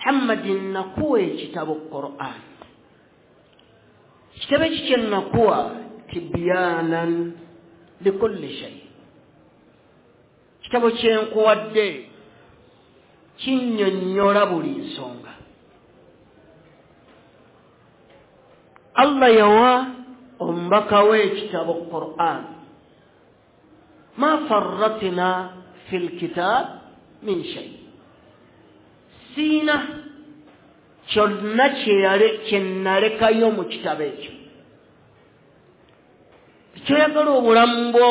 Muhammadin, nakuwa ekitabo Qur'an. Ekitabo eki kye nakuwa tibyanan likulli shay, kitabo kyenkuwadde kinnyonnyola buli nsonga. Allah yawa omubaka we ekitabo Qur'an, ma farratina fil kitab min shay, siina kyonna kye nalekayo mu kitabo ekyo. Kyoyagala obulamu bwo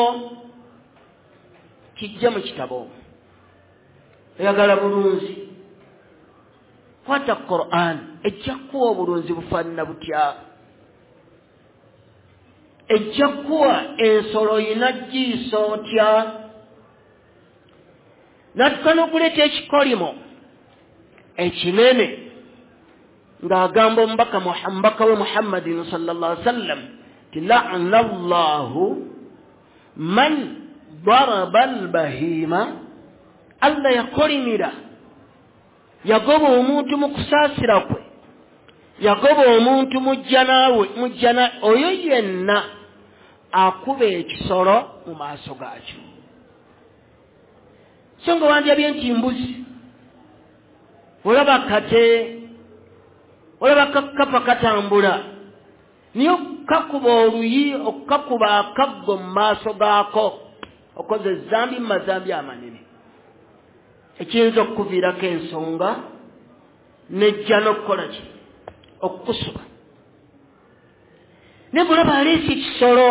kijja mu kitabo omwo. Oyagala bulunzi, kwata Quran, ejja kuwa obulunzi bufaanana butya, ejja kuwa ensolo yina giisa otya. Natuka n'okuleeta ekikolimo ekinene ng'agamba omubaka we Muhammadin sallallahu alaihi wasallam ti la'ana Allahu man daraba albahima. Allah yakolimira, yagoba omuntu mu kusaasira kwe, yagoba omuntu mujjana oyo yenna akuba ekisolo mu maaso gaakyo. So nga wandyabye nti mbuzi, olaba kate, olaba kakapa katambula, niyo kakuba oluyi, okukakuba akaggo mu maaso gaako, okoze ezambi mu mazambi amanene ekiyinza okukuviirako ensonga nejja n'okukola ki, okukusuba. Naye bulaba aleese ekisolo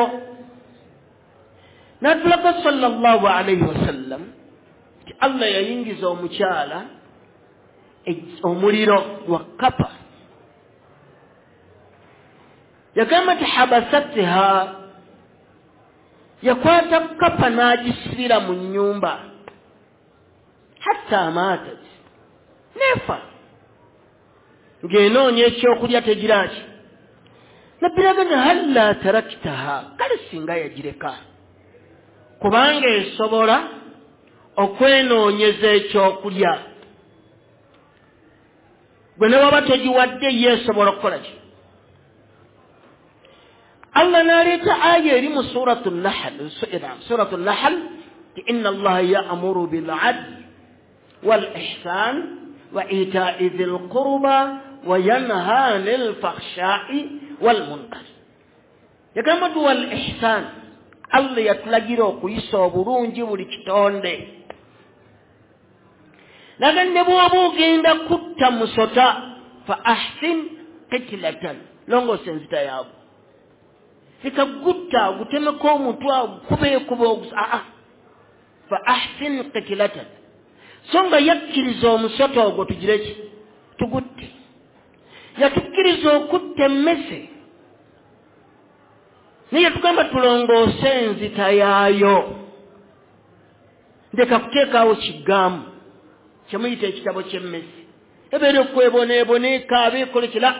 n'atulaga sallallahu alaihi wasallam nti Allah yayingiza omukyala omuliro gwa kapa. Yagamba nti habasatiha, yakwata kapa n'agisibira mu nnyumba hatta matat, nefa ng'enoonya ekyokulya tegiraki. Nabbi halla taraktaha, kale singa yagireka, kubanga esobola okwenoonyeza ekyokulya. Gwe ne waba togiwadde, ye esobola okukola ki. Allah n'aleeta aya eri mu suratu Nahl, suratu Nahl, ti inna Allaha ya'muru bil adl wal ihsan wa ita'i dhil qurba wa yanha 'anil fakhsha'i wal munkar. Yagamba nti wal ihsan, Allah yatulagira okuyisa obulungi buli kitonde. Naga ne bw'oba ogenda kutta musota, fa ahsin qitlatan, longoosa enzita yaabwe, leka gutta gutemeko omutwe gukubeekuba aa, fa ahsin qitlatan. So nga yakkiriza omusota ogwo tugire ki, tugutte. Yatukkiriza okutta emmese, naye yatugamba tulongoose enzita yaayo. Ndeka kuteekaawo kiggaamu kyemuyita ekitabo ky'emmese, ebeera okweboneebona, ekaaba, ekola kira,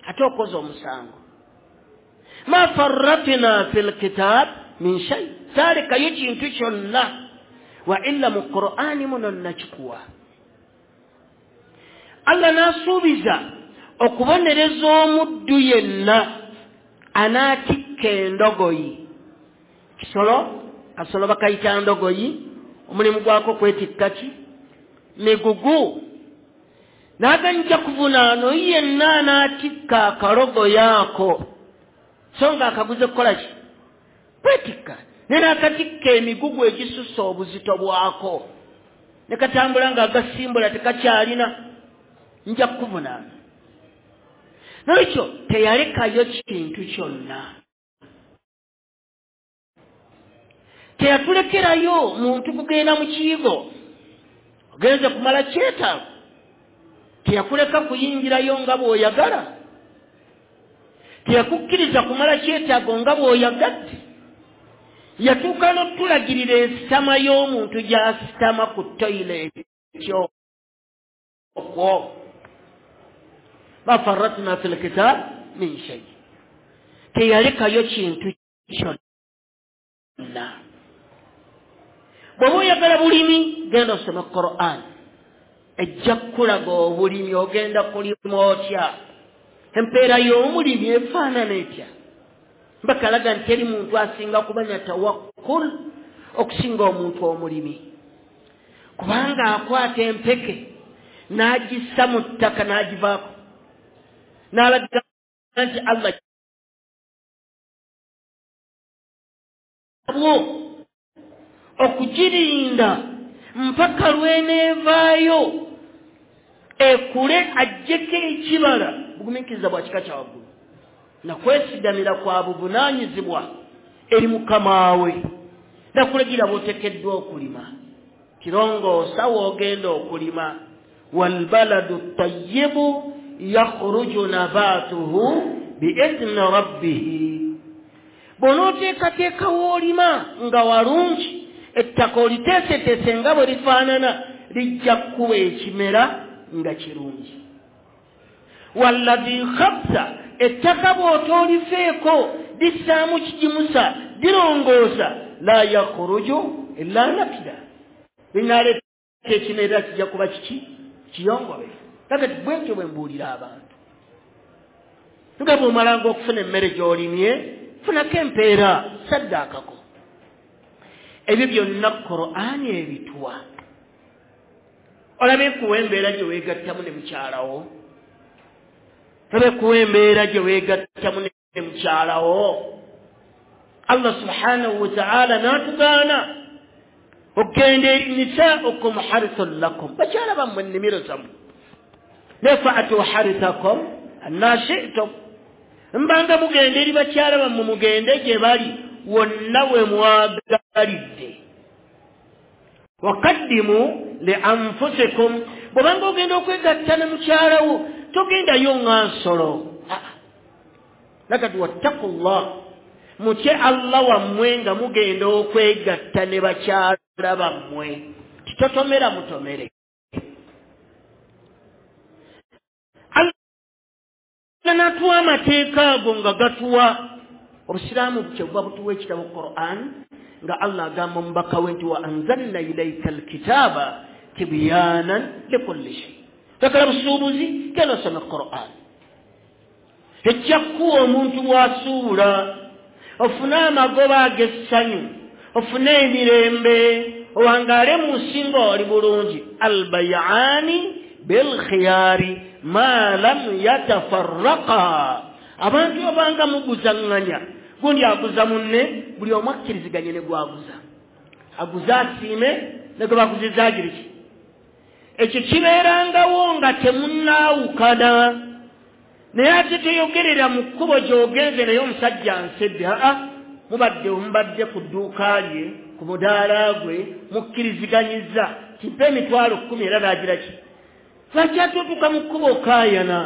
ate okoze omusango. Ma farratina fi lkitab min shay, saalekayo kintu kyonna wa illa mu Qur'ani muno nakikuwa. Allah n'asuubiza okubonereza omuddu yenna anaatikka endogoyi. Kisolo, kasolo bakayita ndogoyi, omulimu gwako kwetikka ki, migugu. N'aganja kuvunaano yenna anaatikka akalogoyi ako, so nga akaguze kukola ki, kwetikka, naye n'akatikka emigugu egisussa obuzito bwako, ne katambula ng'agasimbula tekakyalina, nja kukuvunaana. Nolwekyo teyalekayo kintu kyonna, teyatulekerayo muntu kugenda mu kiyigo ogenze kumala kyetaago, teyakuleka kuyingirayo nga bw'oyagala, teyakukkiriza kumala kyetaago nga bw'oyagadde. Yatuuka n'otulagirira ensitama y'omuntu gy'asitama ku toyileeti okwo. Ma farratna fi lkitab min shay, teyalekayo kintu kyonna. Bw'oba oyagala bulimi, genda osome Quran. Ejja kukulaga obulimi ogenda kulima otya, empeera y'omulimi efaanana etya. Mbakalaga nti teri muntu asinga kubanya tawakkul okusinga omuntu omulimi, kubanga akwata empeke n'agissa mu ttaka n'agivaako n'alaga nti Allah bwo okugirinda mpaka lw'eneevaayo ekule ajjeko ekibala. Bugumiikiriza bwa kika kya waggulu nakwesigamira kwa buvunaanyizibwa eri mukama we. Nakulagira bw'oteekeddwa okulima, kirongoosa w'ogenda okulima. Walbaladu tayyibu yakhruju nabatuhu biidhni rabbihi. Bw'onooteekateeka w'olima nga walungi, ettaka oliteeseteese nga bwe lifaanana, lijja kukuwa ekimera nga kirungi. Walladhi khabsa, ettaka bw'otoolifeeko lissaamu kigimusa, lirongoosa, la yakhruju illa nakida, linaleeta ekimera kijja kuba kiki kiyongobe. Kakati bwentyo bwe mbuulira abantu, nga bw'omalanga okufuna emmere gy'olimye, funako empeera, saddaakako. Ebyo byonna Qur'ani ebituwa. Olabe kuwa embeera gye weegattamu ne mukyalawo, olabe kuwa embeera gye weegattamu ne mukyalawo. Allah subhanahu wa ta'ala n'atugaana okugenda eri nisaaukum harithun lakum, bakyala bammwe ennimiro zammwe, naye fa'atu harithakum anna shi'tum, mbanga mugenda eri bakyala bammwe, mugende gye bali wonna we mwagalidde. Wakaddimu li anfusikum, bw'obanga ogenda okwegatta ne mukyalawo togendayo nga nsolo. Nakati wattaqullah, mutye Allah wammwe nga mugenda okwegatta ne bakyala bammwe, titotomera mutomere. Allah n'atuwa amateeka ago nga gatuwa obusiraamu kyebuva butuwa ekitabo Qur'an, nga Allah agamba omubaka we nti wa anzalna ilayka alkitaba tibyanan likulli shay. Takala busuubuzi, genda osome Qur'an, ejja kukuwa omuntu bw'asuubula, ofune amagoba ag'essanyu, ofune emirembe, owangaale mu nsi ng'oli bulungi. Albayaani bilkhiyari ma lam yatafarraqa. Abantu obanga muguzaŋŋanya, gundi aguza munne, buli omu akkiriziganye ne gwaguza, aguza asiime ne gwe baguziza agire ki. Ekyo kibeerangawo nga temunnaawukana, naye ate teyogerera mu kkubo gy'ogenze naye omusajja nsedde. Aa, mubadde ku dduuka lye, ku mudaala gwe, mukkiriziganyiza kimpe 10,000 era n'agira ki. Lwaki ate otuuka mu kkubo okaayana?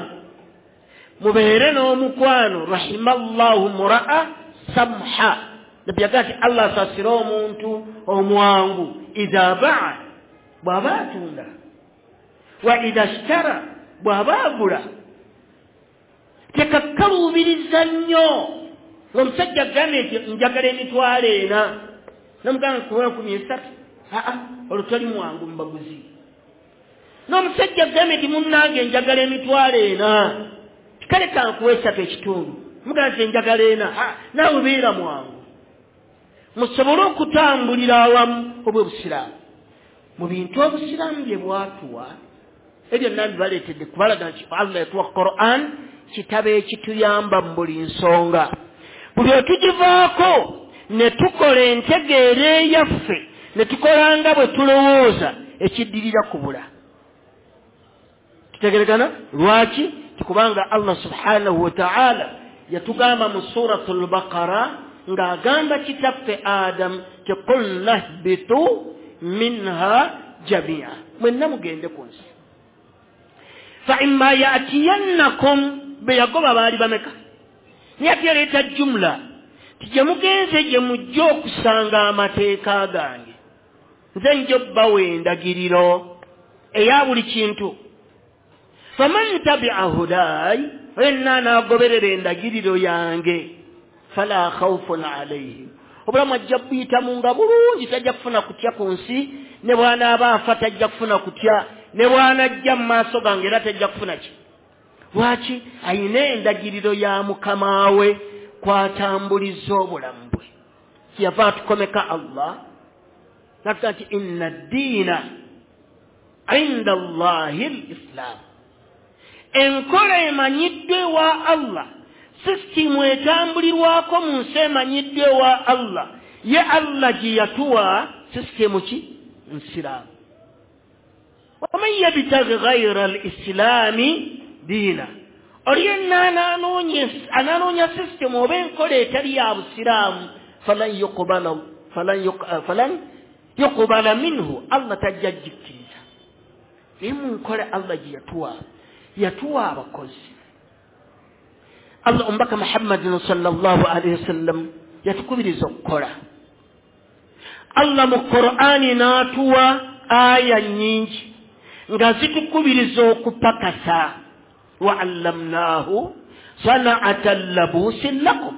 Mubeere n'omukwano. Rahimallahu mura'a samha, Nabbi yagamba nti Allah asaasire omuntu omwangu, idha ba'a, bw'aba atunda, wa idha ishtara, bw'aba agula. Tekakkaluubiriza nnyo ng'omusajja agambye nti njagala 400,000, n'omugamba nkuwa 300,000. Aa, olwo toli mwangu mu baguzi. N'omusajja agambye nti munnange njagala 400,000, kale kankuwa 3.5, mugamba nti njagala 400, naawe beera mwangu, musobole okutambulira awamu obw'obusiraamu. Mu bintu obusiraamu bye bwatuwa, ebyo byonna bibaleetedde kubalaga nti Allah yatuwa Qur'an, kitabo ekituyamba mu buli nsonga. Buli otugivaako ne tukola entegeera eyaffe, ne tukola nga bwe tulowooza, ekiddirira kubula. Tutegeregana? Lwaki? Kubanga Allah subhanahu wa ta'ala yatugamba mu suratul Baqara ng'agamba kitaffe Adam ti qulna ihbitu minha jamia, mwenna mugende ku nsi. Fa imma ya'tiyannakum, be yagoba baali bameka, naye ate yaleeta jumla ti gye mugenze gye mujja okusanga amateeka gange, nze nja obbawa endagiriro eya buli kintu. Faman tabi'a hudayi, yenna anaagoberera endagiriro yange, fala khawfun alayhim, obulamu ajja buyitamu nga bulungi, tajja kufuna kutya ku nsi, ne bw'anaaba afa tajja kufuna kutya. Ne bw'anajja mu maaso gange era tejja kufuna ki. Lwaki? Ayina endagiriro ya mukama we kwatambuliza obulamu bwe. Kyeyava atukomeka Allah n'atugamba nti inna ddiina inda Allahi l-Islam. Enkola emanyiddwa ewa Allah, sisitimu etambulirwako mu nsi emanyiddwa ewa Allah, ye Allah gye yatuwa sisitimu ki? Nsiraamu. Waman yabtaghi ghayra al-islaami diina, oli yenna ananoonya sisitimu oba enkola etali ya busiraamu, falan yuqbala minhu, Allah tajja gikkiriza. Naye mu nkola Allah gye yatuwa, yatuwa abakozi. Allah omubaka Muhammadin sallallahu alaihi wasallam yatukubiriza okukola. Allah mu Qur'ani n'atuwa aya nnyingi nga zitukubiriza okupakasa. Wa allamnahu sana'ata labusin lakum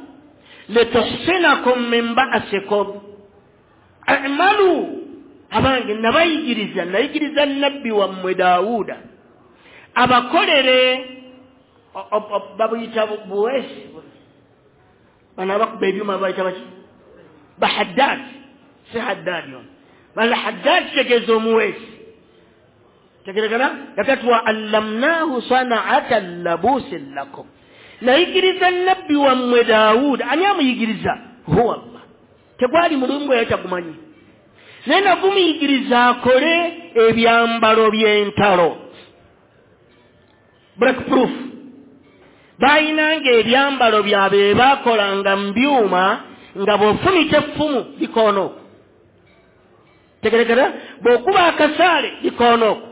lituhsinakum min ba'sikum a'malu. Abange nabayigiriza, nayigiriza nabbi wammwe Daawuda abakolere, babuyita buwesi, bano abakuba ebyuma bayita baki? Bahaddad, si haddad yono, bala haddad kitegeeza omuweesi. Tegeregana yakati wa allamnahu sana'ata labusin lakum, nayigiriza nabbi wammwe Daawuda. Ani amuyigiriza? Huwa Allah. Tegwali mulimu gwe yatagumanyi, naye nagumuyigiriza akole ebyambalo by'entalo, break proof. Bayinanga ebyambalo byabwe bakolanga mu byuma nga bw'ofumita effumu likoona okwo, tegeregera, bw'okuba akasaale likoona okwo.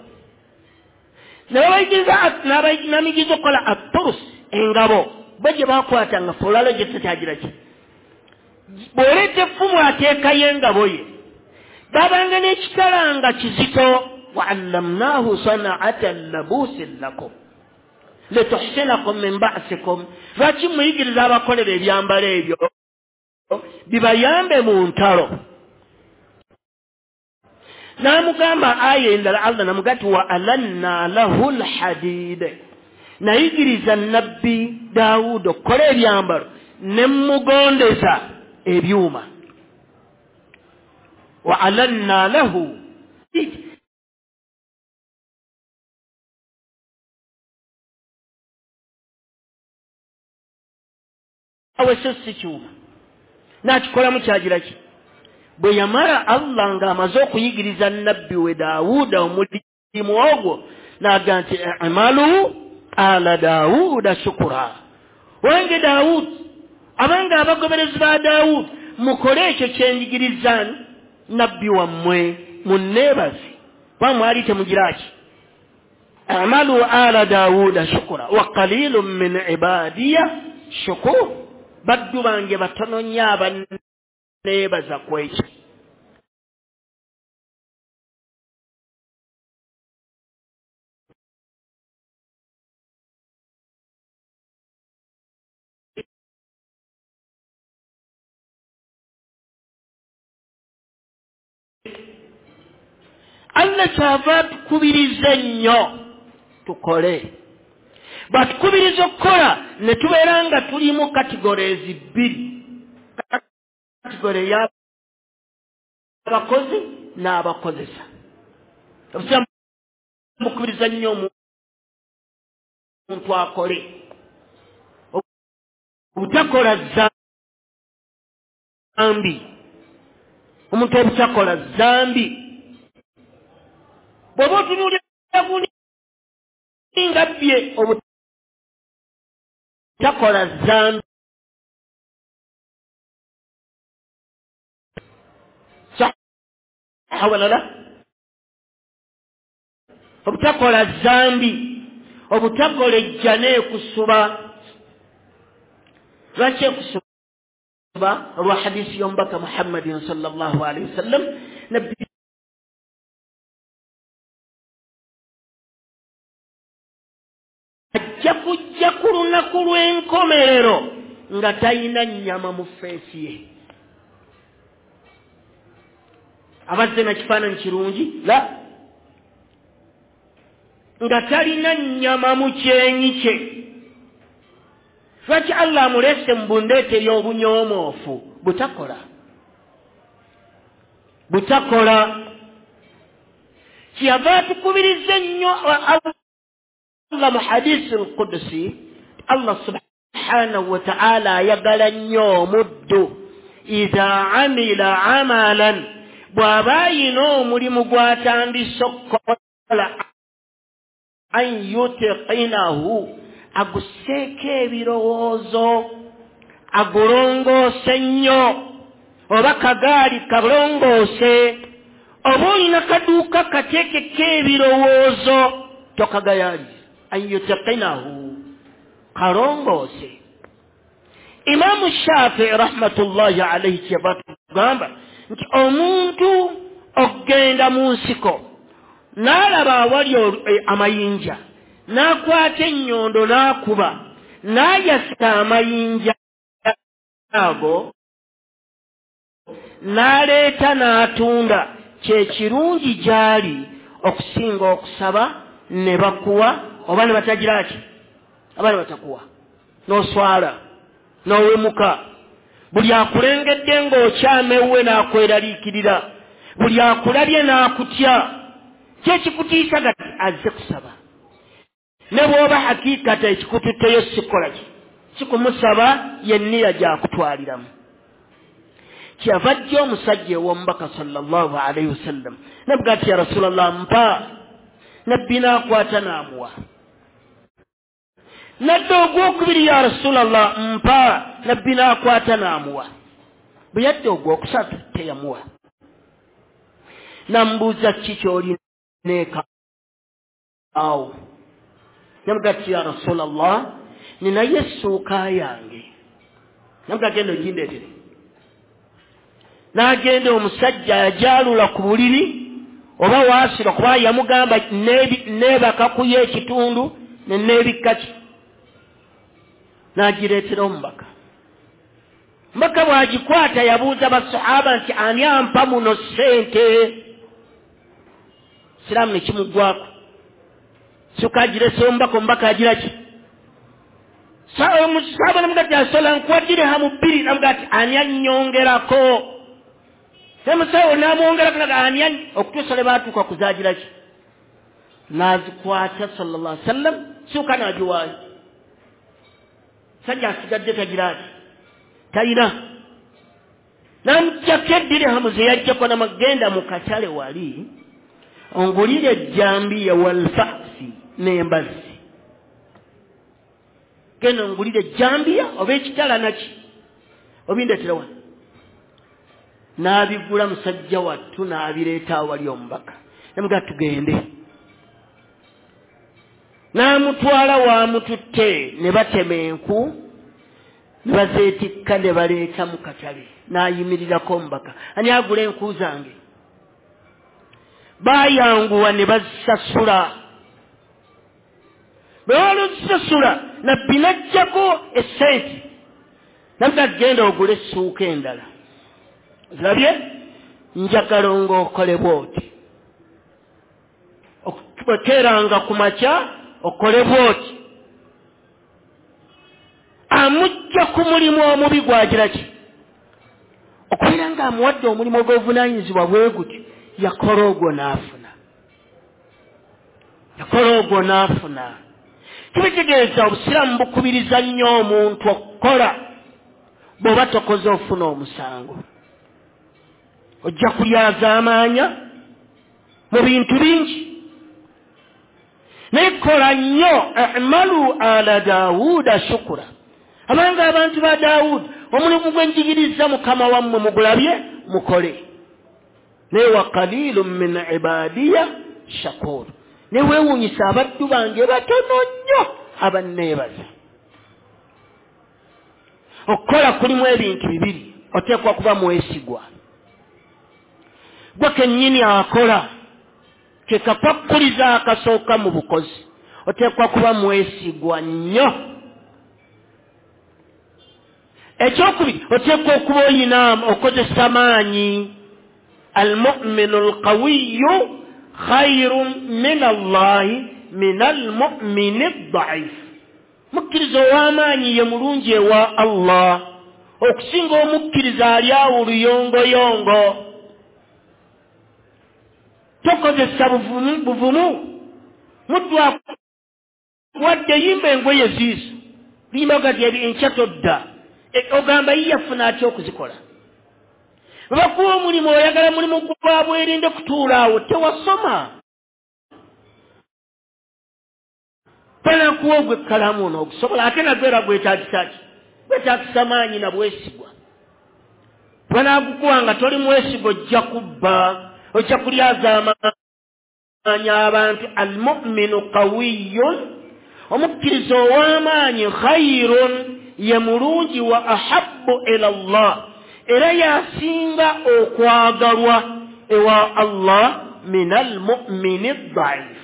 Ne babayigiriza, n'amuyigiriza okukola aturusi, engabo bo gye bakwatanga ffe olwaleero gye tutakyagira ki, bw'oleeta effumu ateekayo engabo ye. Babanga n'ekitala nga kizito. Wa allamnahu sana'ata labusin lakum lituhsinakum min ba'sikum. Lwaki muyigiriza abakolera ebyambalo ebyo bibayambe mu ntalo? N'amugamba aya endala Allah n'amugamba nti wa alanna lahu lhadid, nayigiriza nabbi Daawuda okukola ebyambalo ne mugondeza ebyuma. Wa alanna lahu, awe si kyuma n'akikolamu kyagira ki. Bwe yamala Allah ng'amaze okuyigiriza nabbi we Daawuda omulimu ogwo, n'agamba nti i'malu ala Daawuda shukura. Wange Daawud, abange abagoberezi ba Daawud, mukole ekyo kye njigiriza nabbi wammwe, munneebaze, kuba mwali temugira ki. I'malu ala Daawuda shukura wa qalilun min ibadiya shukur. Baddu bange batono nnyo abanneebaza ku ekyo. Allah kyava atukubiriza nnyo tukole. Batukubiriza okukola ne tubeera nga tuli mu categories bbiri, category y'abakozi n'abakozesa. Obusiraamu bukubiriza nnyo omuntu akole, obutakola zambi. Omuntu obutakola zambi, bw'oba otunuulira gundi nga bbye, obutakola zambi. Wala obutakola zambi, obutakola ejja n'ekusuba. Lwaki ekusuba? Olwa hadisi y'omubaka Muhammadin sallallahu alaihi wasallam, nabbi ajja kujja ku lunaku lw'enkomerero nga talina nnyama mu feesi ye. Abazze na kifaananyi kirungi la Nga talina nnyama mu kyenyi kye. Lwaki Allah amulese mu bundeete y'obunyoomoofu? Butakola. Butakola. Kyeyava atukubiriza ennyo Allah mu hadisi al-Qudsi, Allah subhanahu wa ta'ala ayagala nnyo omuddu idha amila amalan, bw'aba ayina omulimu gw'atandise okukola, an yutiqinahu, aguseeko ebirowoozo, agulongoose nnyo, oba kagaali kalongoose, oba olina kaduuka kateekeko ebirowoozo, tokagayaali. An yutiqinahu, kalongoose. Imaamu Shafii rahmatullahi alaihi kyeyava atugamba nti omuntu okugenda mu nsiko n'alaba awali amayinja, n'akwata ennyondo n'akuba, n'ayasa amayinja ago, n'aleeta n'atunda, kye kirungi gy'ali okusinga okusaba ne bakuwa oba ne batagira ki, oba ne batakuwa, n'oswala n'owemuka. Buli akulengedde ng'okyama ewuwe n'akweraliikirira, buli akulabye n'akutya, kyekikutiisa gati azze kusaba. Ne bw'oba hakikata ekikututteyo sikola ki, sikumusaba, yenniya gyakutwaliramu. Kyeyava ajja omusajja ew'omubaka sallallahu alaihi wasallam, nabuga ati ya Rasulallah mpa. Nabbi n'akwata n'amuwa. Nadda ogwokubiri, ya Rasulallah mpa. Nabbi n'akwata n'amuwa. Bwe yadda ogwokusatu teyamuwa. Namubuuza ki ky'olina eka awo? Namuga ati ya Rasulallah ninayo essuuka yange. Namuga genda ogindeetere. N'agenda omusajja yagyalula ku buliri oba waasula, kuba yamugamba neebaka kuyo ekitundu ne neebikka ki, n'agireetera omubaka. Omubaka bw'agikwata yabuuza basahaba nti ani ampa muno ssente? Siraamu ne kimuggwako. Ssuuka agirese omubaka, omubaka agira ki? Omusahaba namuga ati asola nkuwa dirhamu 2. Namuga ati ani annyongerako? Omusawo n'amwongerako ani okutuusa lwe baatuuka kuzaagira ki, n'azikwata sallallahu alaihi wasallam, ssuuka n'agiwaayo. Sajja asigadde tagira ati talina. N'amuggyako eddirhamu ze yaggyako n'amagenda mu katale wali ongulire ejjambiya walfasi n'embazzi. Genda ongulire ejjambiya oba ekitala naki obindeetera wano. N'abigula musajja wattu n'abireeta awali omubaka. Namuga tugende. N'amutwala waamututte ne batema enku ne bazeetikka ne baleeta mu katale. N'ayimirirako omubaka, ani agula enku zange? Baayanguwa ne bazisasula. Bwe baaluzisasula Nabbi n'aggyako essente, namuga genda ogule essuuka endala. Zirabye? Njagala ng'okole bw'oti, okeeranga ku makya okole bw'oti. Amujja ku mulimu omubi gwagira ki? Okubeera ng'amuwadde omulimu ogw'obuvunaanyizibwa bwe guti, yakola ogwo n'afuna. Yakola ogwo n'afuna. Kibitegeeza obusiraamu bukubiriza nnyo omuntu okukola. Bw'oba tokoze ofuna omusango, ojja kulyazaamaanya mu bintu bingi. Naye kola nnyo, amalu ala Daawuda shukura. Abanga abantu ba Daawudi, omulimu gwe njigiriza Mukama wammwe mugulabye mukole. Naye wa qalilun min ibadiya shakur. Ne weewuunyisa abaddu bange batono nnyo abanneebaza. Okukola kulimu ebintu bibiri, oteekwa kuba mwesigwa. Gwe kennyini akola, ke kakwakuliza akasooka mu bukozi, oteekwa kuba mwesigwa nnyo. Ekyokubiri, oteekwa okuba oyina okozesa maanyi. Almuminu alqawiyu khairun min Allahi min almumini daif. Mukkiriza ow'amaanyi ye mulungi ewa Allah okusinga omukkiriza ali awo oluyongoyongo. Tokozesa buvumu muddu akuwadde yimba engoye ziizo limba gati enkya todda, ogamba ye yafuna atya okuzikola? Bakuwa omulimu, oyagala mulimu gwa bwerinde kutuula awo, tewasoma. Banakuwa ogw'ekkalamu onoogusobola, ate nagwo era gwetaagisa ki? Gwetaagisa maanyi na bwesigwa. Banaagukuwa nga toli mwesigwa, ojja kubba, ojja kulyazaamaanyi abantu. Almuminu qawiyun, omukkiriza ow'amaanyi, khairun, ye mulungi, wa ahabbu ila Allah, era yasinga okwagalwa ewa Allah, min almumini daif,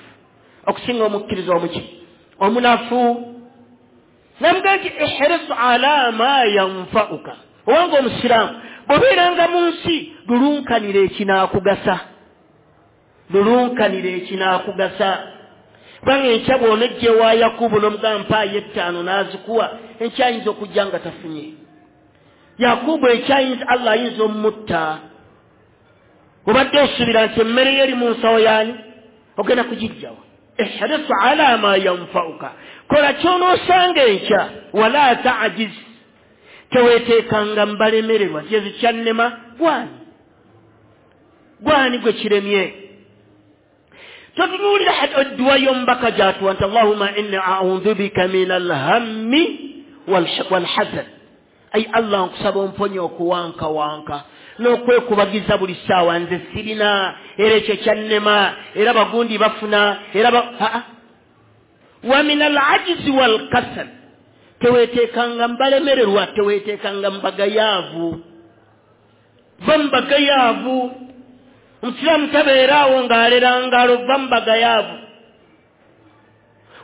okusinga omukkiriza omuki omunafu. Namugaa nti ihris ala ma yanfauka, owanga omusiraamu bw'obeeranga mu nsi lulunkanira ekinaakugasa, lulunkanira ekinaakugasa. Kubanga enkya bw'onojja ewa Yakubu n'omugamba mpaayo 5 n'azikuwa, enkya ayinza okujja nga tafunye. Yakubu enkya ayinza, Allah ayinza omutta. Obadde osuubira nti emmere ye eri mu nsawo yaani, ogenda kugijjawa. Ihris ala ma yanfauka, kola ky'onoosanga enkya. Wala tajiz, teweeteekanga mbalemererwa, kyezi kyannema gwani gwani gwe kiremye. Totunuulira edduwa y'omubaka gy'atuwa nti allahumma inni a'udhu bika min alhammi walhazan. Ai Allah, nkusaba omponye okuwankawanka n'okwekubagiza buli ssaawa, nze sirina, era ekyo kyannema, era bagundi bafuna, era wa min alajizi walkasal, teweeteekanga mbalemererwa, teweeteekanga mbagayaavu. Va mbagayaavu. Omusiraamu tabeera awo ng'alera ngalo, va mbagayaavu.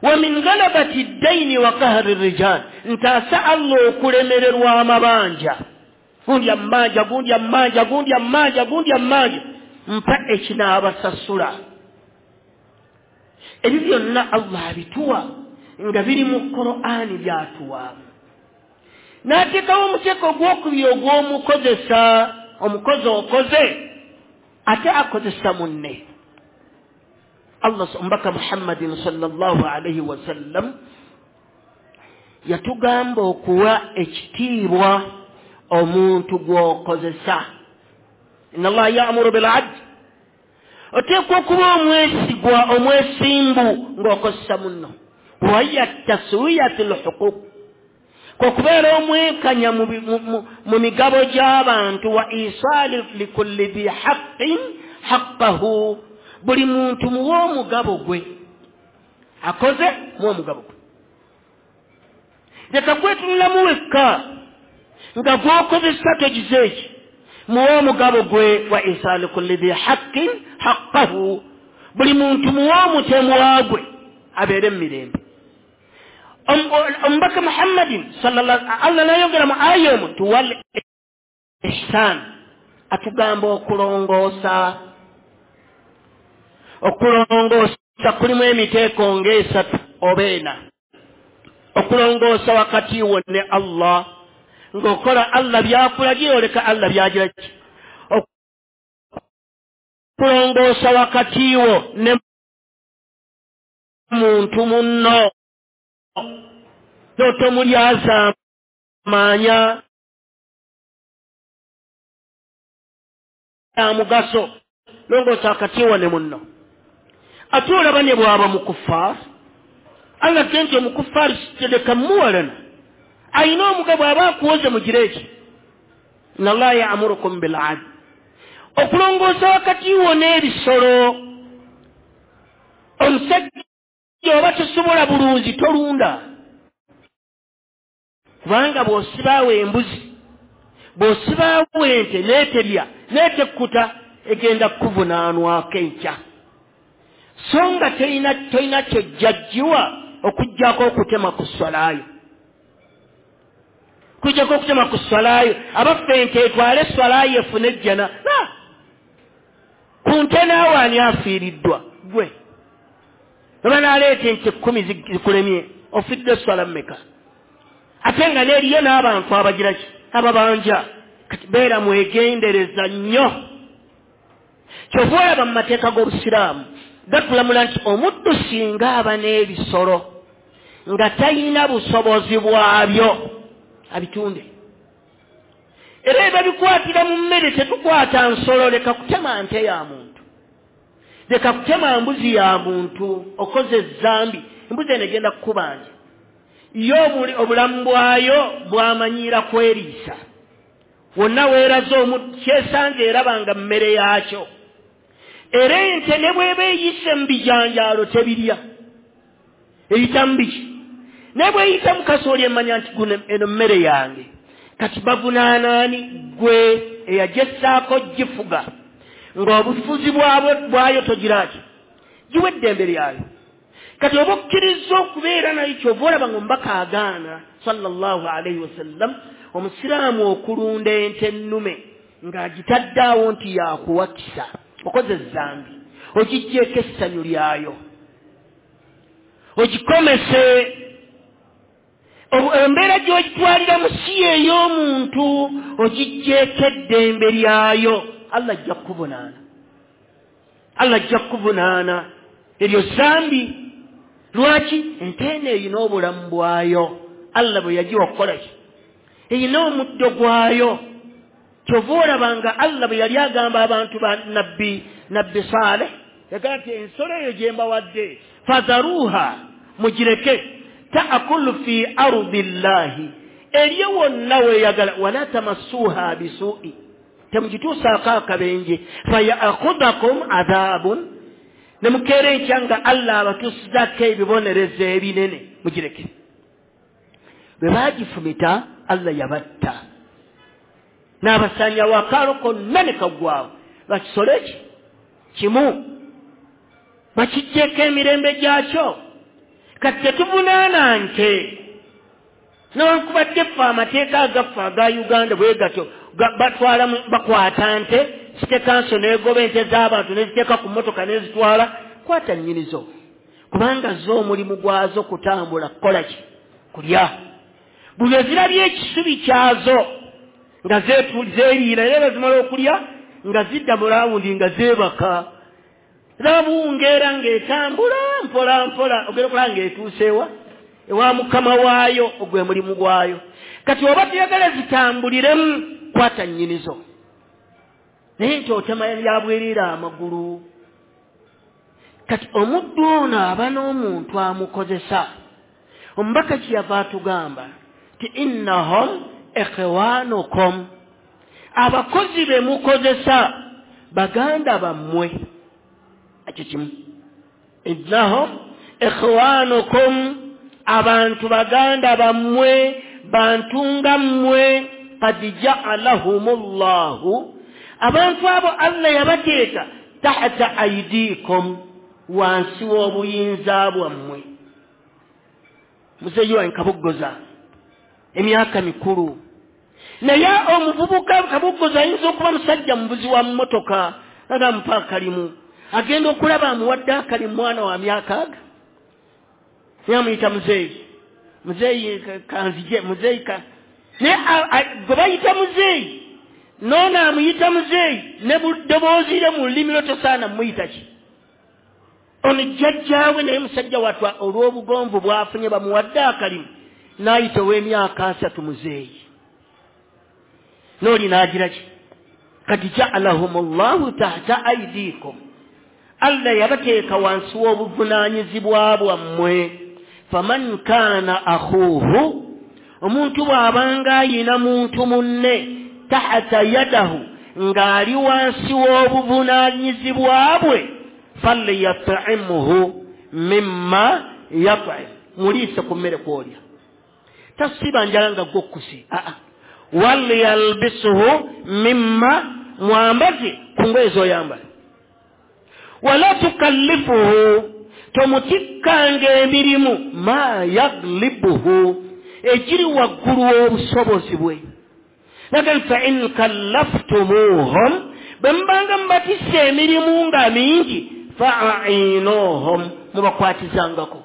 Wa min ghalabati ddaini wa qahri rijal, ntaasa Allah okulemererwa amabanja. Gundi amanja, gundi amanja, gundi amanja, gundi amanja, mpa ekinaabasasula. Ebyo byonna Allah abituwa nga biri mu Qur'ani byatuwa. N'ateekawo omuteeko ogwokubiri ogw'omukozesa, omukozi okoze ate akozesa munne. Allah omubaka Muhammadin sallallahu alaihi wasallam yatugamba okuwa ekitiibwa omuntu gw'okozesa. Inna Allah ya'muru bil adl, oteekwa okuba omwesigwa, omwesimbu ng'okozesa munno. Wahiya taswiyatu lhuquq, kwekubeera omwenkanya mu migabo gy'abantu. Wa isali likulli dhi haqqin haqqahu, buli muntu muwe omugabo gwe, akoze muwe omugabo gwe. Leka kwetunulamu wekka nga gw'okozesa togize eki, muwe omugabo gwe. Wa isali kulli dhi haqqin haqqahu, buli muntu muwe omutemwa gwe abeere mu mirembe. Omubaka Muhammadin sallallahu Allah n'ayogera mu aya emu nti wal ihsan, atugamba okulongoosa. Okulongoosa kulimu emiteeko ng'esatu oba ena. Okulongoosa wakati wo ne Allah, ng'okola Allah by'akulagira, oleka Allah by'agira ki. Okulongoosa wakati wo ne muntu munno, n'otomulyazaamaanya mugaso, longoosa wakati wo ne munno. Ate olaba ne bw'aba mukuffaaru, Allah ge nti omukuffaaru sitereka muwalana, ayina omugabo aba akuwoze mugire eki. Inna Allah ya'murukum bil adl. Okulongoosa wakati wo n'ebisolo, omusajja oba tosobola bulunzi tolunda, kubanga bw'osibaawo embuzi, bw'osibaawo ente n'eterya n'etekkuta, egenda kukuvunaanwako enkya. So nga tolina kyojjajjiwa okuggyako okutema ku swalaayo, kujjako okutema ku swalaayo. Abaffe ente etwale swalaayo efune ejjana, ku nte naawe ani afiiriddwa? Gwe. Bwe banaleeta ente 10 zikulemye, ofidde swala mmeka? Ate nga n'eriyo n'abantu abagira ki? Ababanja. Kati beera mwegendereza nnyo. Kyova olaba mu mateeka g'Obusiraamu gatulamula nti omuddu singa aba n'ebisolo nga talina busobozi bwabyo, abitunde. Era ebyo bikwatira mu mmere, tetukwata nsolo. Leka kutema nte ya muntu, leka kutema mbuzi ya muntu, okoze ezambi. Embuzi eno egenda kukubanja yo, obulamu bwayo bwamanyiira kweriisa. Wonna weeraze kyesanga eraba nga mmere yaakyo. Era ente ne bweba eyise mu bijanjaalo tebirya, eyita mu biki, ne bweyita mu kasooli emanya nti guno eno mmere yange. Kati bavunaanaani? Gwe eyagyessaako gifuga ng'obufuzi bwayo togiraki, giwa eddembe lyayo. Kati oba okkiriza okubeera nayo, kyova olaba nga omubaka agaana sallallahu alaihi wasallam omusiraamu okulunda ente ennume ng'agitaddaawo nti yakuwakisa. Okoze ezambi, ogiggyeko essanyu lyayo, ogikomese embeera gy'ogitwalira mu si ey'omuntu, ogiggyeko eddembe lyayo. Allah ajja kukuvunaana, Allah ajja kukuvunaana. Eryo zambi. Lwaki? Ente eno erina obulamu bwayo, Allah bwe yagiwa okukola ki, erina omuddo gwayo. Kyova olaba nga Allah bwe yali agamba abantu ba nabbi Saleh, yagamba nti ensolo eyo gye mbawadde, fadharuha, mugireke, taakulu fi ardi llahi, erye wonna weeyagala, wala tamassuha bisuui, temugituusaako akabenje, fayakhudhakum adhabun, ne mukeera enkya nga Allah abatuusizaako ebibonerezo ebinene. Mugireke. Bwe baagifumita, Allah yabatta n'abasanyawo akaalo konna ne kaggwawo. Bakisolo eki kimu bakiggyeko emirembe gyakyo. Kati tetuvunaana nte, newankubadde ffe amateeka agaffe aga Uganda bwe gatyo batwala, bakwata nte, city council n'egoba ente z'abantu neziteeka ku mmotoka nezitwala. Kwata nnyinizo, kubanga zo omulimu gwazo kutambula, kukola ki? Kulya. Buli ezirabye ekisubi kyazo nga zeeriira, era zimala okulya nga zidda mu rawundi nga zeebaka. Rabungeera ng'etambula mpola mpola, ogenda okulaba ng'etuuseewa ewa mukama waayo, ogwe mulimu gwayo. Kati oba tuyagala zitambuliremu, kwata nnyinizo. Naye nti otema yabwerera amagulu. Kati omuddu ono aba n'omuntu amukozesa. Omubaka kyeyava atugamba ti innahum ikhwanukum, abakozi be mukozesa baganda bammwe. Ekyo kimu, innahum ikhwanukum, abantu baganda bammwe, bantu nga mmwe. Qad ja'alahum llahu, abantu abo Allah yabateeka tahta aidikum, wansi w'obuyinza bwammwe. Muzeeyi wange Kabuggoza emyaka mikulu, naye omuvubuka Kabuggoza ayinza okuba musajja mubuzi wa mmotoka, aga mupa akalimu, agenda okulaba amuwadde akalimu mwana wa myaka aga, naye amuyita muzeeyi, muzeeyi kanzije, muzeeyi ka. Naye gwe bayita muzeeyi noono amuyita muzeeyi ne buddoboozi lye mu lulimi lwe tosaana mumuyita ki? Ono jjajjaawe. Naye musajja watwa olw'obugonvu bwafunye, bamuwadde akalimu, n'ayita ow'emyaka 30 muzeeyi, n'oli n'agira ki? Kati ja'alahum llahu tahta aidikum, Allah yabateeka wansi w'obuvunaanyizibwa bwammwe. Faman kaana akhuuhu, omuntu bw'abanga ayina muntu munne, tahta yadahu, ng'ali wansi w'obuvunaanyizibwa bwe, falyat'imuhu mimma yat'im, muliise ku mmere kwolya, tasiba njala nga gwokkusi. Aa, walyalbisuhu mimma, mwambaze ku ngoye z'oyambala. Wala tukallifuhu, tomutikkanga emirimu, ma yaglibuhu, ekiri waggulu w'obusobozi bwe. Naga fa in kallaftumuhum, bwe mubanga mubatisse emirimu nga mingi, fainuhum. Mubakwatizangako.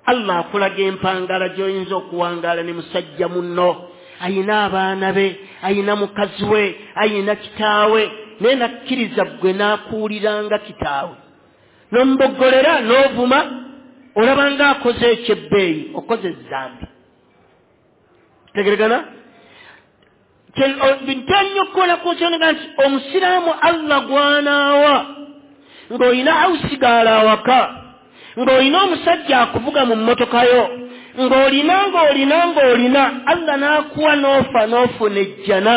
Allah akulaga empangala gy'oyinza okuwangaala ne musajja munno, ayina abaana be, ayina mukazi we, ayina kitaawe, naye nakkiriza ggwe n'akuwuliranga kitaawe, n'omuboggolera n'ovuma, olaba ng'akoze ekyebbeeyi, okoze ezzambi. Tegeregana? Ntannyo okukola ku nsonga nti omusiraamu Allah gwanaawa ng'olina awusigaala awaka, ng'olina omusajja akuvuga mu mmotoka yo, ng'olina ng'olina ng'olina, Allah n'akuwa n'ofa n'ofuna ejjana,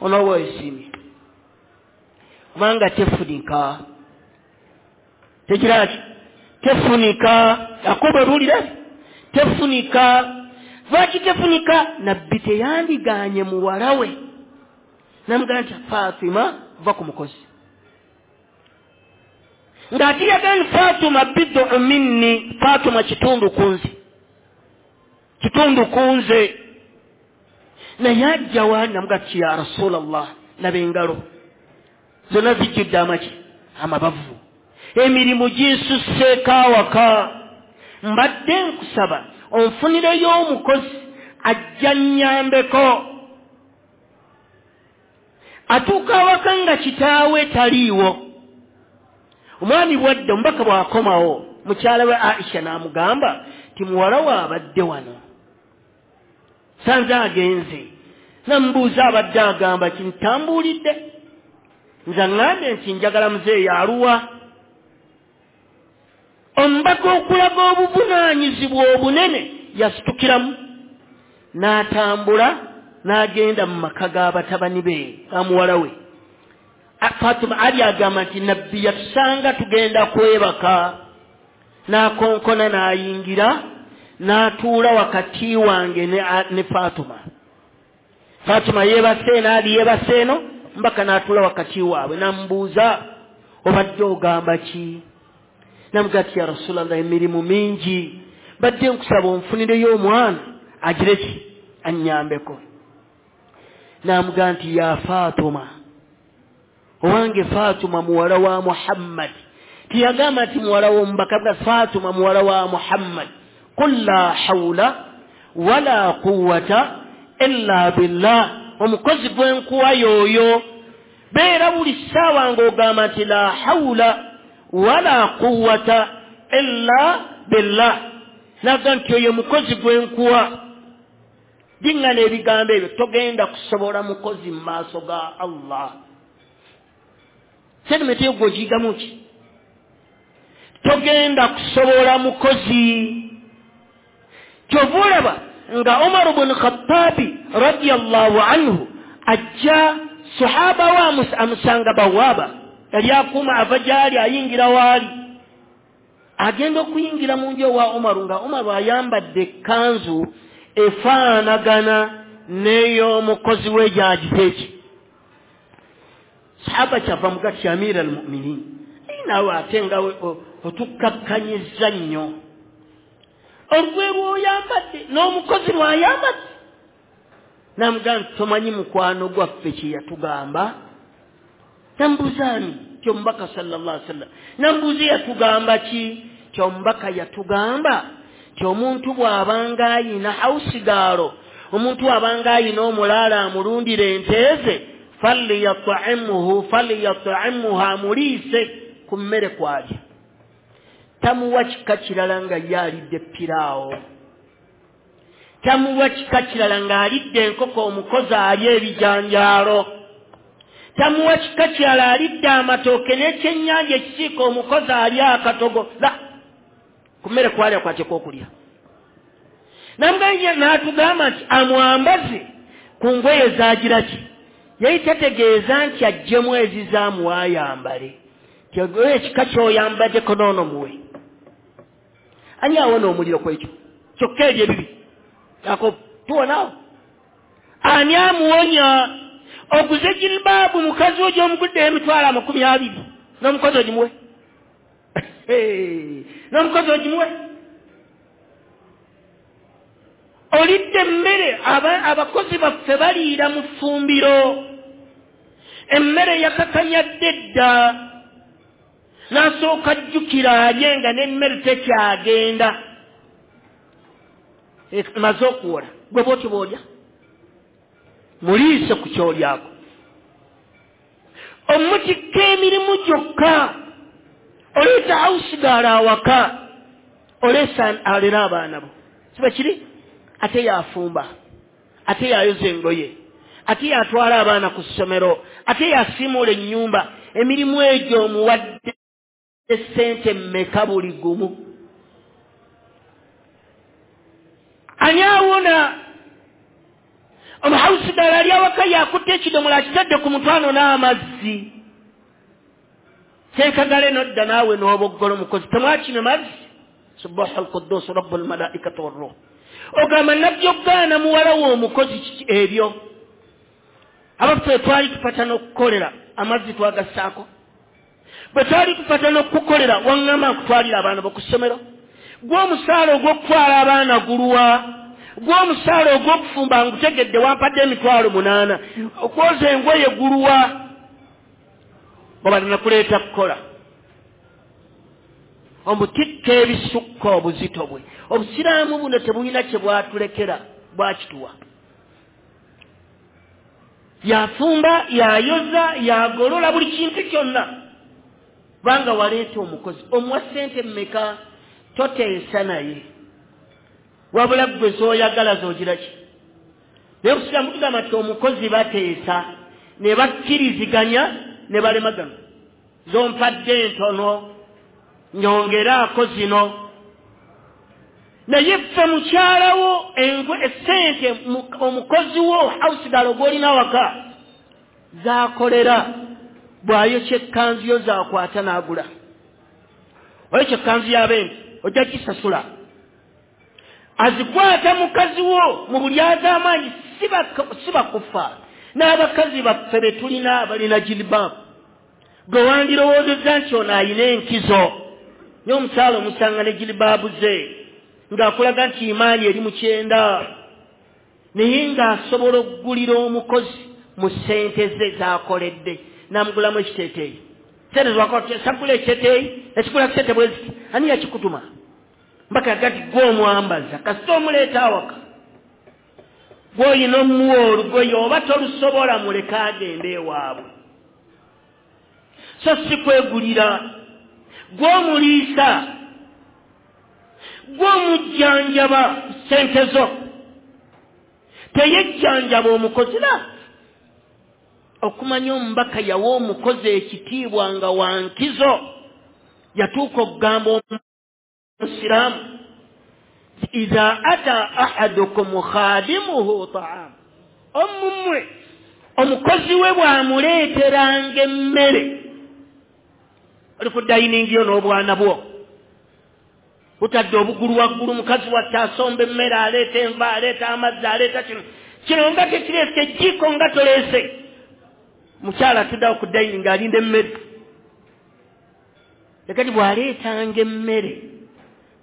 onooba weesiimye. Kubanga tefunika. Tekira ki? Tefunika. Yakobo ebuulire? Tefunika. Lwaki tefunika? Nabbi teyandigaanye muwala we. Namugamba nti Fatima va ku mukozi. Ng'ate yagamba Fatima bid'u minni, Fatima kitundu ku nze. Kitundu ku nze. Naye ajja wa namugamba nti ya Rasulallah, laba engalo zonna zijjudde amaki? Amabavu. Emirimu ginsusseeko awaka. Mbadde nkusaba onfunireyo omukozi ajja nnyambeko. Atuuka awaka nga kitaawe taliiwo. Omwami bwadde omubaka bw'akomawo, mukyala we Aisha n'amugamba nti muwala we abadde wano, sanze agenze. Namubuuza abadde agamba ki, ntambuulidde. Nze aŋŋambye nti njagala muzeeyi aluwa. Omubaka okulaga obuvunaanyizibwa obunene yasitukiramu n'atambula n'agenda mu maka g'abatabani be ga muwala we. Fatima Ali agamba nti Nabbi yatusanga tugenda kwebaka, n'akonkona n'ayingira n'atuula wakati wange ne Fatima. Fatima yeebase eno, Ali yeebase eno, mbaka n'atuula wakati waabwe n'amubuuza obadde ogamba ki? Namugamba nti ya Rasulallah, emirimu mingi, mbadde nkusaba onfunireyo omwana agire ki? Annyambeko. N'amugamba nti ya Fatima, owange Fatima muwala wa Muhammad. Tiyagamba nti muwala w'omubaka, bwa Fatima muwala wa Muhammad. Qul la hawla wala quwwata illa billah. Omukozi gwe nkuwa y'oyo. Beera buli ssaawa ng'ogamba nti la hawla wala quwwata illa billah. Naga nti oyo mukozi gwe nkuwa. Diŋŋana ebigambo ebyo, togenda kusobola mukozi mu maaso ga Allah. Sedimenti eyo gw'ogiyigamu ki? Togenda kusobola mukozi. Kyova olaba nga Umar ibn Khattabi radiyallahu anhu ajja sahaba wa amusanga bawaba, yali akuuma ava gy'ali ayingira waali. Agenda okuyingira mu nju ewa Umaru nga Umaru ayambadde ekkanzu efaanagana n'ey'omukozi we gy'agize ki. Sahaba kyava mugati Amira al-Mu'minin, naawe ate nga otukkakkanyizza nnyo. Olugoye lw'oyambadde n'omukozi lw'ayambadde. Namugamba nti tomanyi mukwano gwaffe kye yatugamba? Nambuuza ani? Ti omubaka sallallahu alaihi wasallam. Nambuuza yatugamba ki? Ti omubaka yatugamba ti omuntu bw'abanga ayina hausigaalo, omuntu bw'abanga ayina omulaala amulundira ente ze, falyat'imhu falyat'imha, amuliise ku mmere kw'alya. Tamuwa kika kirala nga ye alidde piraawo. Tamuwa kika kirala ng'alidde enkoko omukozi alya ebijanjaalo. Tamuwa kika kirala alidde amatooke n'ekyennyanja ekisiika omukozi alya akatogo. La, ku mmere kw'alya kw'ateekwa okulya. Namugamba n'atugamba nti amwambaze ku ngoye z'agira ki? Yali tategeeza nti aggyemu ezizaamuwa ayambale. Ti ekika ky'oyambaddeko n'ono muwe. Ani awona omuliro ku ekyo? Kyokka ebyo ebibi. Yakobo, tuwonaawo. Ani amuwonya? Oguze jilbaabu mukazi wo gy'omugudde emitwalo 20 n'omukozi ogimuwe. N'omukozi ogimuwe. Olidde emmere, abakozi baffe baliira mu ffumbiro. Emmere yakakanyadde dda. N'asooka ajjukira alye nga n'emmere tekyagenda, emaze okuwola. Gwe bw'otyo bw'olya, muliise ku kyolyako. Omutikka emirimu gyokka, oleeta hausigaala awaka, oleesa alera abaana bo, siba kiri? Ate yafumba, ate yayoza engoye, ate yatwala abaana ku ssomero, ate yasiimuula ennyumba. Emirimu egyo omuwadde ssente mmeka buli gumu? Ani awona? Omuhausigaala ali awaka yakutte ekidomola akitadde ku mutwano n'amazzi. Senkagale nodda naawe n'oboggolo mukozi, temwakino mazzi. Subaha alquddus rabbul malaikati warruh. Ogamba nabbi okugaana muwala we omukozi kiki ebyo? Abaffe twali tupata n'okukolera amazzi twagassaako. Bwe twali tupata n'okukolera waŋŋamba nkutwalira abaana bo ku ssomero. Gw'omusaala ogw'okutwala abaana guluwa? Gw'omusaala ogw'okufumba ngutegedde wampadde 800,000. Okwoza engoye guluwa? Oba nakuleeta kukola. Omutikka ebisukka obuzito bwe. Obusiraamu buno tebulina kye bwatulekera, bwakituwa. Yafumba, yayoza, yagolola buli kintu kyonna. Kubanga waleeta omukozi, omuwa ssente mmeka, toteesa naye. Wabula ggwe z'oyagala z'ogira ki? Naye obusiraamu tugamba nti omukozi bateesa, ne bakkiriziganya ne balemagana. Z'ompadde ntono, nyongeraako zino. Naye ffe mukyalawo essente omukozi wo hausigalo gw'olina waka z'akolera, bw'ayokya ekkanzu yo z'akwata n'agula. Oyokya ekkanzu y'abendi ojja gisasula. Azikwata mukazi wo mu bulyazaamaanyi, si bakufa. N'abakazi baffe be tulina abalina jilibaabu, gwe wandirowoozezza nti ono ayina enkizo. Naye omukyala omusanga ne jilibaabu ze ng'akulaga nti imaani eri mu kyenda, naye ng'asobola okugulira omukozi mu ssente ze z'akoledde, n'amugulamu ekiteeteeyi. Ssente z'akola ekiteeteeyi, ekigula ssente bwe ziti, ani yakikutuma? Mbaka yagati gwe omwambaza, kasita omuleeta awaka. Gw'olina omuwa olugoye oba tolusobola muleke agende ewaabwe. So si kwegulira. Gw'omuliisa, gw'omujjanjaba ssente zo. Teyejjanjaba omukozi la. Okumanya omubaka yawa omukozi ekitiibwa nga wa nkizo, yatuuka okugamba omusiraamu, idha ata ahadukum khadimuhu ta'am. Omumwe omukozi we bw'amuleeteranga emmere, oli ku dayiningi yo n'obwana bwo, butadde obugulu waggulu, mukazi watte asomba emmere, aleeta enva, aleeta amazzi, aleeta kino kino nga tekireese, ejjiiko nga toleese. Mukyala atuddeawo ku dayiningi alinda emmere. Kati bw'aleetanga emmere,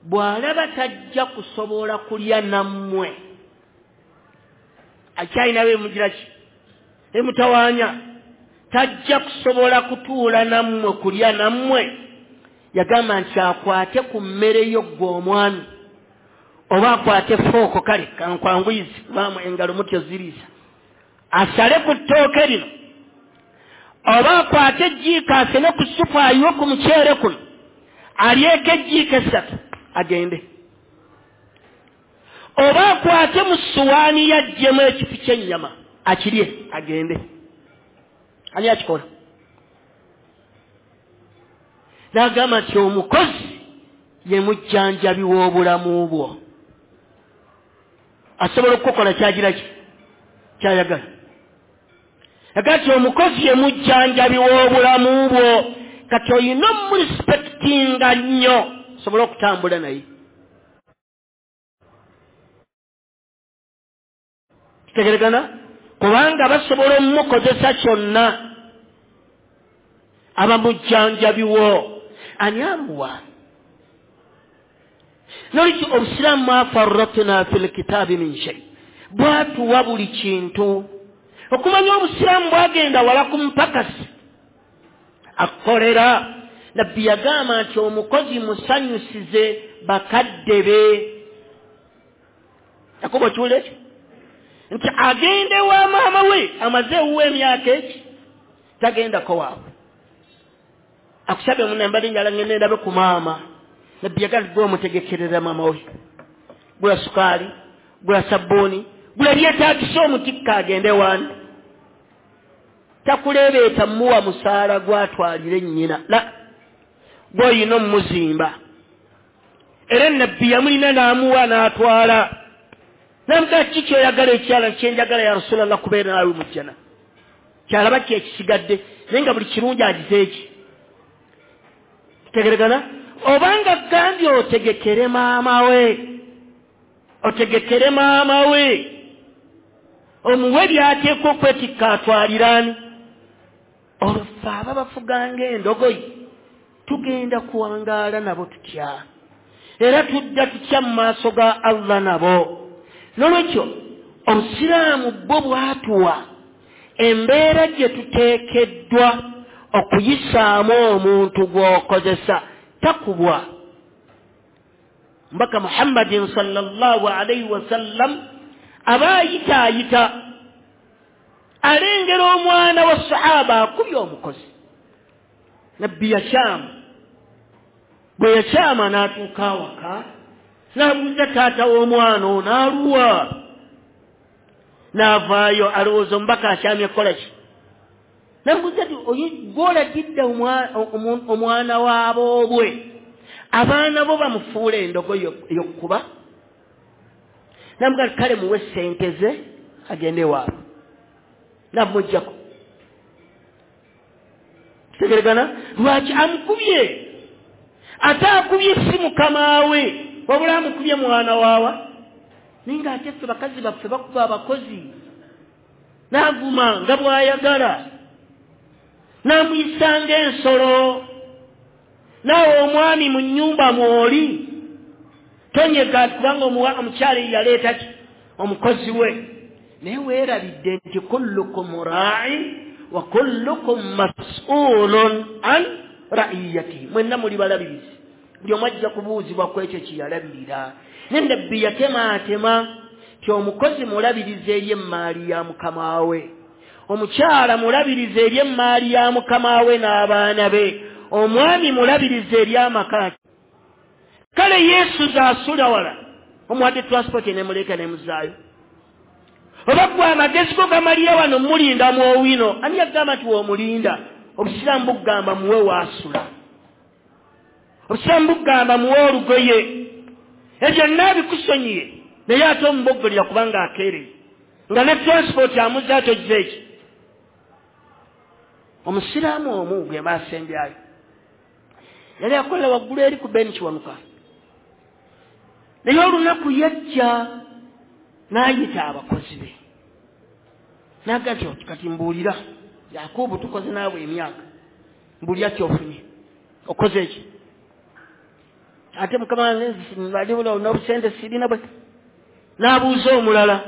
bw'alaba tajja kusobola kulya nammwe, akyalina beemugira ki emutawaanya, tajja kusobola kutuula nammwe kulya nammwe, yagamba nti akwate ku mmere yo ggwe omwami, oba akwate fooko, kale kankwanguyizi kubaamu engalo mutyo ziriisa, asale ku ttooke lino, oba akwate ejjiiko asene ku ssupu ayiwe ku muceere kuno, alyeko ejjiiko 3 agende, oba akwate mu ssuwaani yaggyemu ekifi ky'ennyama akirye agende. Ani akikola? N'agamba nti omukozi ye mujjanjabi w'obulamu bwo, asobola okukola kyagira ki kyayagala. Agamba nti omukozi ye mujjanjabi w'obulamu bwo, kati olina omurespectinga nnyo osobole okutambula naye. Kitegeregana? Kubanga basobola omukozesa kyonna, aba mujjanjabi wo. Ani amuwa? Nolwekyo obusiraamu ma farratna fil kitaabi min shay, bwatuwa buli kintu. Okumanya obusiraamu bwagenda wala ku mpakasi, akolera Nabbi yagamba nti omukozi musanyusize bakadde be. Yakobo kiwulira ekyo nti agende wa maama we amaze ewuwe emyaka eki tagendako waabwe, akusabye munambali njala ngende ndabe ku maama. Nabbi yagala gwe omutegekerera maama we, gula sukaali, gula sabbuuni, gula byetaagisa omutikka agende wani. Takuleebeeta muwa musaala gwatwalire nnyina, la gw'olina omuzimba. Era nabbi yamulina n'amuwa n'atwala. Namugaa ki kyoyagala ekyala kyenjagala ya Rasulallah kubeera naawe mu jjana. Kyalaba ki ekisigadde, naye nga buli kirungi agize eki. Tutegeregana? Obanga gambye otegekere maama we, otegekere maama we, omuwe by'ateekwa okwetikka atwaliraani. Olwo ffe aba bafuganga endogoyi tugenda kuwangaala nabo tutya? Era tudda tutya mu maaso ga Allah nabo? N'olwekyo obusiraamu bwo bwatuwa embeera gye tuteekeddwa okuyisaamu omuntu gw'okozesa takubwa. Mbaka Muhammadin sallallahu alayhi wasallam aba ayitaayita alengera omwana wa sahaba akubye omukozi. Nabbi yakyama, bwe yakyama n'atuuka awaka n'abuuza taata w'omwana ono aluwa, n'avaayo alowooza omubaka akyamye kukola ki. Namubuuza nti gw'olagidde omwana w'aboobwe abaana bo bamufuula endogoyi ey'okkuba? Namugamba kale muwe ssente ze agende waabwe. Namuggyako. Kitegeregana? Lwaki amukubye? Ate akubye si mukama we, wabula amukubye mwana waawa. Naye ng'ate ffe bakazi baffe bakuba abakozi, n'avuma nga bw'ayagala, n'amuyisa ng'ensolo. Naawe omwami mu nnyumba mw'oli tonyega kubanga omukyala yaleeta ki omukozi we. Naye weerabidde nti kullukum raa'in wa kullukum mas'ulun an ra'iyatihi, mwenna muli balabirizi, buli omu ajja kubuuzibwa ku ekyo kye yalabirira. Ne Nabbi yatemaatema nti omukozi mulabirizi eri emmaali ya mukama we, omukyala mulabirizi eri emmaali ya mukama we n'abaana be, omwami mulabirizi eri amaka. Kale Yesu zaasula wala omuwadde transport nemuleka nemuzaayo. Oba gwe amagezi go gamalira wano mulinda mwowino, ani yagamba nti w'omulinda? Obusiraamu bugamba muwe waasula, obusiraamu bugamba muwe olugoye, ebyo naabikusonyiye naye ate omuboggolera kubanga akeereye nga ne transport amuzaayo togize eki. Omusiraamu omu gwe baasembyayo yali akolera waggulu eri ku Ben Kiwanuka, naye olunaku yajja n'ayita abakozi be n'agamba nti kati mbuulira Yakubu, tukoze naawe emyaka, mbuulira ky'ofunye, okoze eki? Ate mukama n'obusente sirina bwe. N'abuuza omulala,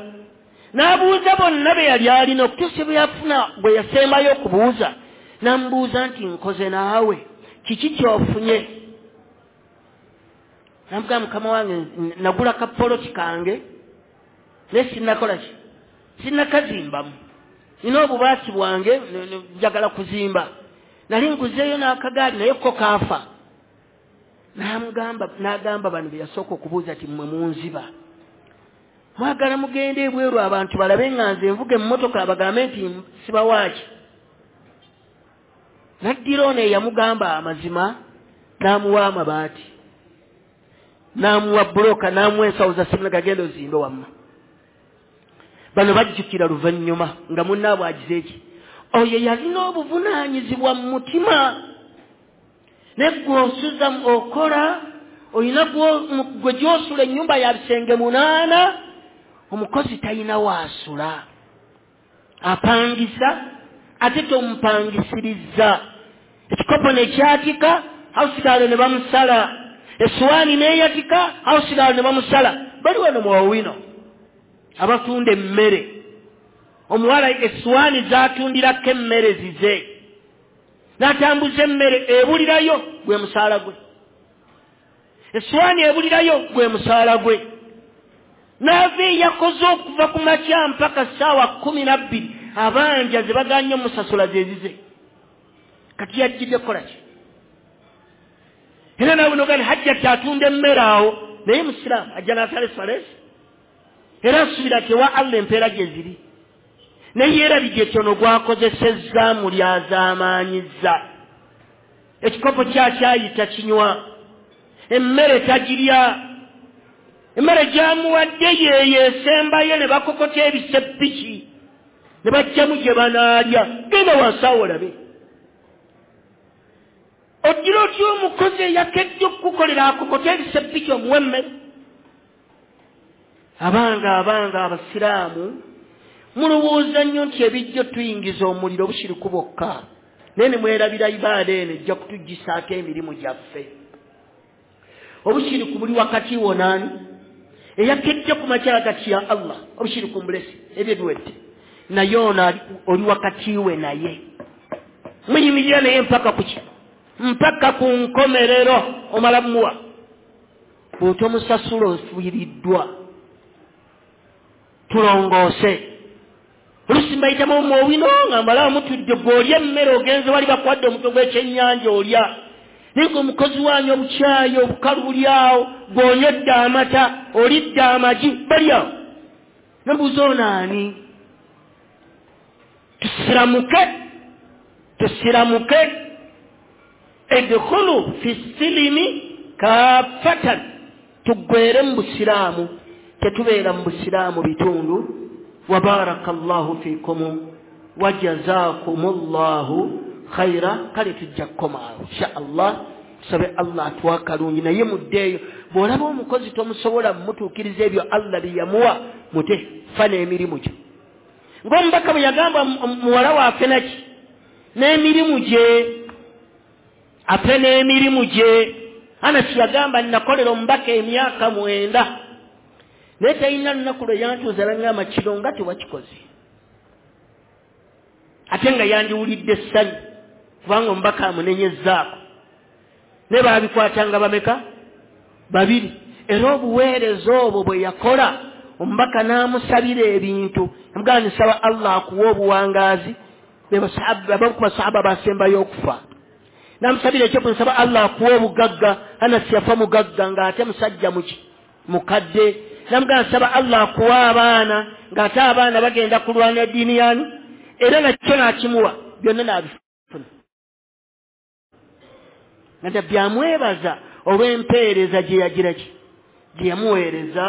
n'abuuza bonna be yali alina okutuusa bwe yafuna bwe yasembayo okubuuza, n'amubuuza nti nkoze naawe kiki ky'ofunye? Namugamba mukama wange nagula kapoloti kange naye sinnakola ki, sinnakazimbamu, nina obubaati bwange njagala kuzimba, nali nguzeeyo n'akagaali naye ko kaafa. N'agamba bano be yasooka okubuuza nti mmwe munziba, mwagala mugende ebweru abantu balabe nga nze nvuga emmotoka bagambe nti sibawaaki. N'addira ono eyamugamba amazima n'amuwa amabaati, n'amuwa buloka, n'amuwa ensawo za simuna gagenda ozimbe wamma. Bano bajjukira luvannyuma nga munnaabwe agize eki. Oyo yalina obuvunaanyizibwa mu mutima, naye gwe osuza okola olina gwe gy'osula ennyumba ya bisenge 8, omukozi talina waasula, apangisa ate tomupangisiriza. Ekikopo ne kyatika hausigaalo ne bamusala, essuwaani n'eyatika hausigaalo ne bamusala. Bali wano mu Owino abatunda emmere, omuwala essuwaani z'atundirako emmere zize, N'atambuza emmere ebulirayo gwe musaala gwe, essowaani ebulirayo gwe musaala gwe. N'ava eyakoze okuva ku makya mpaka ssaawa 12, abanja ze baganye omusasula ze zize. Kati yajjidde kukola ki? Era nawe nogani Hajjati atunda emmere awo, naye musiraamu ajja n'asala esswala era asuubira nti ewa Allah empeera gye ziri, naye yeerabidde ekyono gwakozesezza mulyazaamaanyizza. Ekikopo kyakyayita kinywa, emmere tagirya, emmere gyamuwadde yeeyo esembayo, ne bakokota ebiseppiki ne bajjamu gye banaalya. Genda wansi awo olabe. Ogira otya omukozi eyakedde okukukolera akokota ebiseppiki omuwa emmere? Abanga abasiraamu mulowooza nnyo nti ebijjo tuyingiza omuliro bushiriku bwokka, naye ne mwerabira ibaada eno ejja kutuggisaako emirimu gyaffe. Obushiriku buli wakati wo naani? Eyakedde ku makya gati ya Allah, obushiriku mbulesi, ebyo biwedde. Naye ono oli wakati we naye, muyimirira naye mpaka kuki? Mpaka ku nkomerero omala muwa. Bw'otomusasula ofiiriddwa. Tulongoose. Oluusi mbayitamu omwowino nga mbalawo mutudde, gw'olya emmere ogenze wali bakuwadde omutwe gw'ekyennyanja olya, naye ng'omukozi wanyu obukyayi obukalu buli awo, gw'onywedde amata olidde amagi bali awo. Nembuuza ono ani? Tusiramuke, tusiramuke. Edkhulu fi silimi kaffatan, tuggwere mu busiraamu, tetubeera mu busiraamu bitundu. Wa barakallahu fikum wa jazakumullahu khaira. Kale tujja kukomaawo insha Allah, tusabe Allah atuwa akalungi. Naye muddeeyo, bw'olaba omukozi tomusobola mumutuukiriza ebyo Allah bye yamuwa, mute fa n'emirimu gyo. Ng'omubaka bwe yagamba muwala waffe naki n'emirimu gye, afe n'emirimu gye. Anasi yagamba nnakolera omubaka emyaka 9, naye talina lunaku lwe yantuuza n'aŋŋamba kiro nga tewakikoze, ate nga yandiwulidde essanyu kubanga omubaka amunenyezzaako. Naye baabikwatanga bameka? 2. Era obuweereza obwo bwe yakola, omubaka n'amusabira ebintu, amugamba nsaba Allah akuwe obuwangaazi. Abamu ku basahaba basembayo okufa, n'amusabira ekyo, nsaba Allah akuwe obugagga. Anasi yafa mugagga ng'ate musajja muki? Mukadde. Namugamba nsaba Allah akuwe abaana, ng'ate abaana bagenda kulwana eddiini yani, era nakyo n'akimuwa, byonna n'abifuna. Nga Nabbi amwebaza olw'empeereza gye yagira ki? Gye yamuweereza,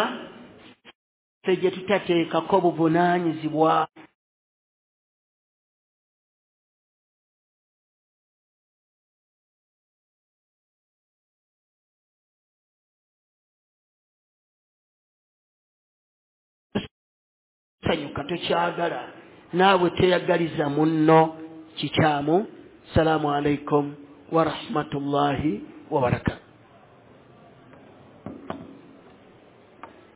ffe gye tutateekako buvunaanyizibwa. Sanyuka tokyagala, naawe teyagaliza munno kikyamu. Salaamu alaikum wa rahmatullahi wa barakatuh.